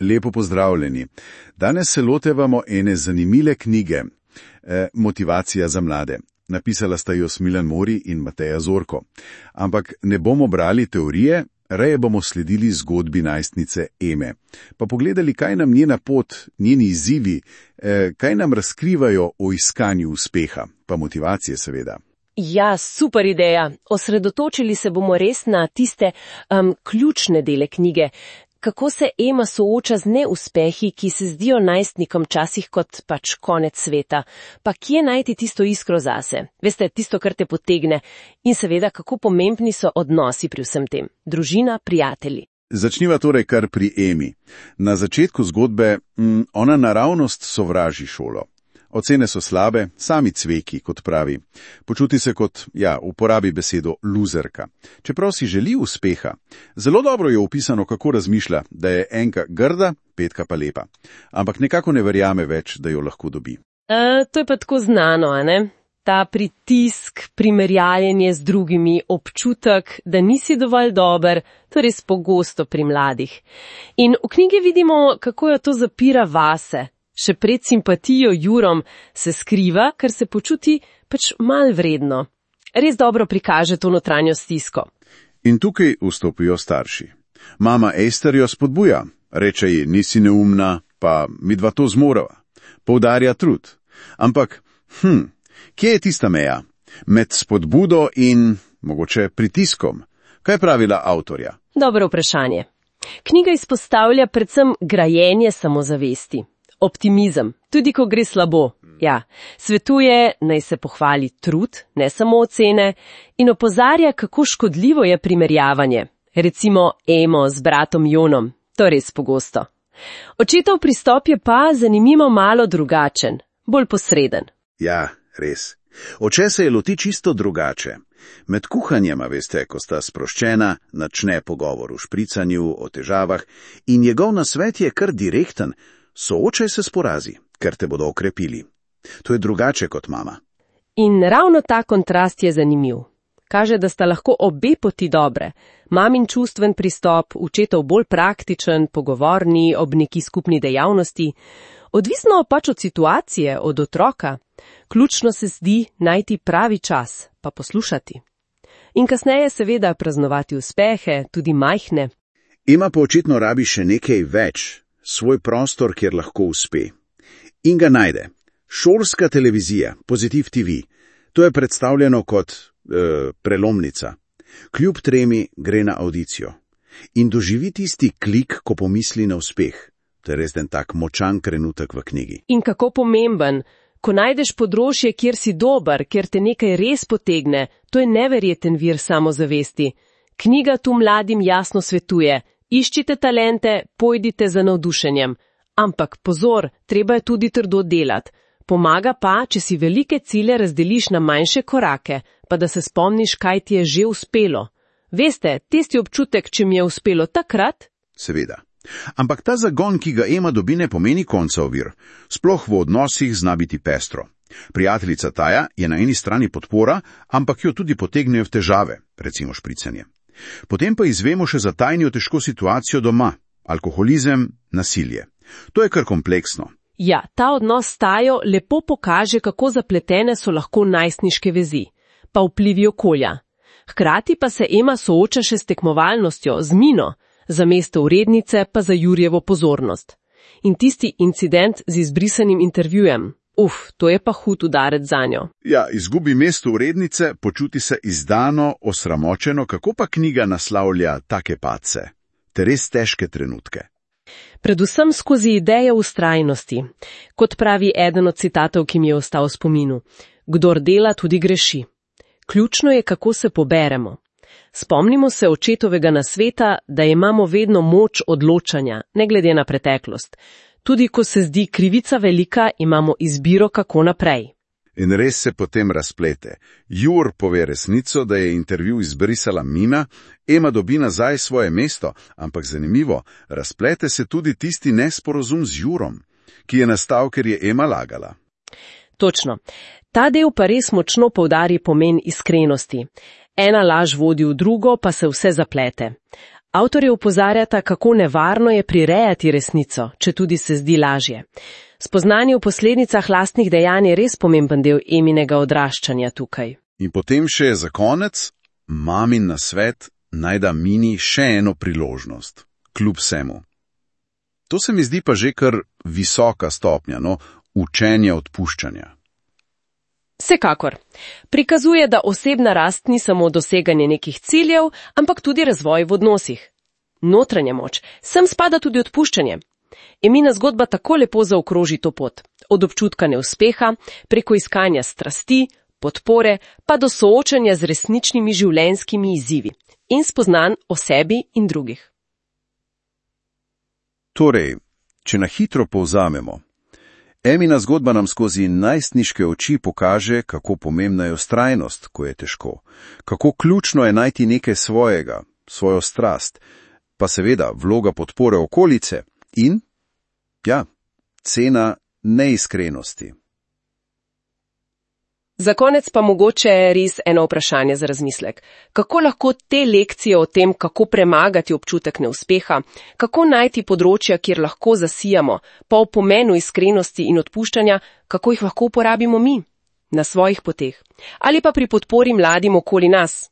Lepo pozdravljeni. Danes se lotevamo ene zanimive knjige, Motivacija za mlade. Napisala sta jo Smiljan Mori in Mateja Zorko. Ampak ne bomo brali teorije, raje bomo sledili zgodbi najstnice Eme. Pa pogledali, kaj nam njena pot, njeni izzivi, kaj nam razkrivajo o iskanju uspeha, pa motivacije seveda. Ja, super ideja. Osredotočili se bomo res na tiste ključne dele knjige. Kako se Ema sooča z neuspehi, ki se zdijo najstnikom časih kot pač konec sveta, pa kje najti tisto iskro zase, veste, tisto, kar te potegne, in seveda, kako pomembni so odnosi pri vsem tem, družina, prijatelji. Začniva torej kar pri Emi. Na začetku zgodbe ona naravnost sovraži šolo. Ocene so slabe, sami cveki, kot pravi. Počuti se kot, uporabi besedo luzerka. Čeprav si želi uspeha, zelo dobro je opisano, kako razmišlja, da je enka grda, petka pa lepa. Ampak nekako ne verjame več, da jo lahko dobi. To je pa tako znano, a ne? Ta pritisk, primerjaljenje z drugimi, občutek, da nisi dovolj dober, to je res pogosto pri mladih. In v knjigi vidimo, kako jo to zapira vase. Še pred simpatijo Jurom se skriva, ker se počuti pač manj vredno. Res dobro prikaže to notranjo stisko. In tukaj vstopijo starši. Mama Ester jo spodbuja, reče ji, nisi neumna, pa midva to zmorava. Poudarja trud. Ampak, kje je tista meja? Med spodbudo in mogoče pritiskom? Kaj je pravila avtorja? Dobro vprašanje. Knjiga izpostavlja predvsem grajenje samozavesti. Optimizem, tudi ko gre slabo. Ja, svetuje, naj se pohvali trud, ne samo ocene, in opozarja, kako škodljivo je primerjavanje. Recimo Emo z bratom Jonom, to res pogosto. Očetov pristop je pa zanimivo malo drugačen, bolj posreden. Ja, res. Oče se je loti čisto drugače. Med kuhanjema, veste, ko sta sproščena, načne pogovor o špricanju, o težavah in njegov nasvet je kar direkten. Soočaj se s porazi, ker te bodo okrepili. To je drugače kot mama. In ravno ta kontrast je zanimiv. Kaže, da sta lahko obe poti dobre. Mamin čustven pristop, očetov bolj praktičen, pogovorni, ob neki skupni dejavnosti. Odvisno pač od situacije, od otroka. Ključno se zdi najti pravi čas, pa poslušati. In kasneje seveda praznovati uspehe, tudi majhne. Ima pa očitno rabi še nekaj več. Svoj prostor, kjer lahko uspe. In ga najde. Šolska televizija, Pozitiv TV, to je predstavljeno kot prelomnica. Kljub tremi gre na audicijo. In doživi tisti klik, ko pomisli na uspeh. To je res en tak močan trenutek v knjigi. In kako pomemben, ko najdeš področje, kjer si dober, kjer te nekaj res potegne, to je neverjeten vir samozavesti. Knjiga tu mladim jasno svetuje. Iščite talente, pojdite za navdušenjem. Ampak pozor, treba je tudi trdo delati. Pomaga pa, če si velike cilje razdeliš na manjše korake, pa da se spomniš, kaj ti je že uspelo. Veste, tisti občutek, če mi je uspelo takrat? Seveda. Ampak ta zagon, ki ga Ema dobi, ne pomeni konca ovir. Sploh v odnosih zna biti pestro. Prijateljica Taja je na eni strani podpora, ampak jo tudi potegnejo v težave, recimo špricanje. Potem pa izvemo še za tajno težko situacijo doma, alkoholizem, nasilje. To je kar kompleksno. Ja, ta odnos s Tajo lepo pokaže, kako zapletene so lahko najstniške vezi, pa vplivi okolja. Hkrati pa se Ema sooča še s tekmovalnostjo, z Mino, za mesto urednice pa za Jurjevo pozornost. In tisti incident z izbrisanim intervjujem. To je pa hud udarec zanjo. Ja, izgubi mesto urednice, počuti se izdano, osramočeno, kako pa knjiga naslavlja take padce, te res težke trenutke. Predvsem skozi idejo vztrajnosti. Kot pravi eden od citatov, ki mi je ostal v spominu. Kdor dela, tudi greši. Ključno je, kako se poberemo. Spomnimo se očetovega nasveta, da imamo vedno moč odločanja, ne glede na preteklost. Tudi ko se zdi krivica velika, imamo izbiro, kako naprej. In res se potem razplete. Jur pove resnico, da je intervju izbrisala Mina, Ema dobi nazaj svoje mesto, ampak zanimivo, razplete se tudi tisti nesporazum z Jurom, ki je nastal, ker je Ema lagala. Točno. Ta del pa res močno poudari pomen iskrenosti. Ena laž vodi v drugo, pa se vse zaplete. Avtorji opozarjata, kako nevarno je prirejati resnico, če tudi se zdi lažje. Spoznanje o posledicah lastnih dejanj je res pomemben del Eminega odraščanja tukaj. In potem še za konec, mamin nasvet naj da Mini še eno priložnost, kljub vsemu. To se mi zdi pa že kar visoka stopnja, učenje odpuščanja. Vsekakor. Prikazuje, da osebna rast ni samo doseganje nekih ciljev, ampak tudi razvoj v odnosih. Notranja moč, sem spada tudi odpuščanje. Emina zgodba tako lepo zaokroži to pot. Od občutka neuspeha, preko iskanja strasti, podpore, pa do soočanja z resničnimi življenjskimi izzivi in spoznanj o sebi in drugih. Torej, če na hitro povzamemo, Emina zgodba nam skozi najstniške oči pokaže, kako pomembna je vztrajnost, ko je težko, kako ključno je najti nekaj svojega, svojo strast, pa seveda vloga podpore okolice in, cena neiskrenosti. Za konec pa mogoče res eno vprašanje za razmislek. Kako lahko te lekcije o tem, kako premagati občutek neuspeha, kako najti področja, kjer lahko zasijamo, pa o pomenu iskrenosti in odpuščanja, kako jih lahko uporabimo mi, na svojih poteh, ali pa pri podpori mladim okoli nas,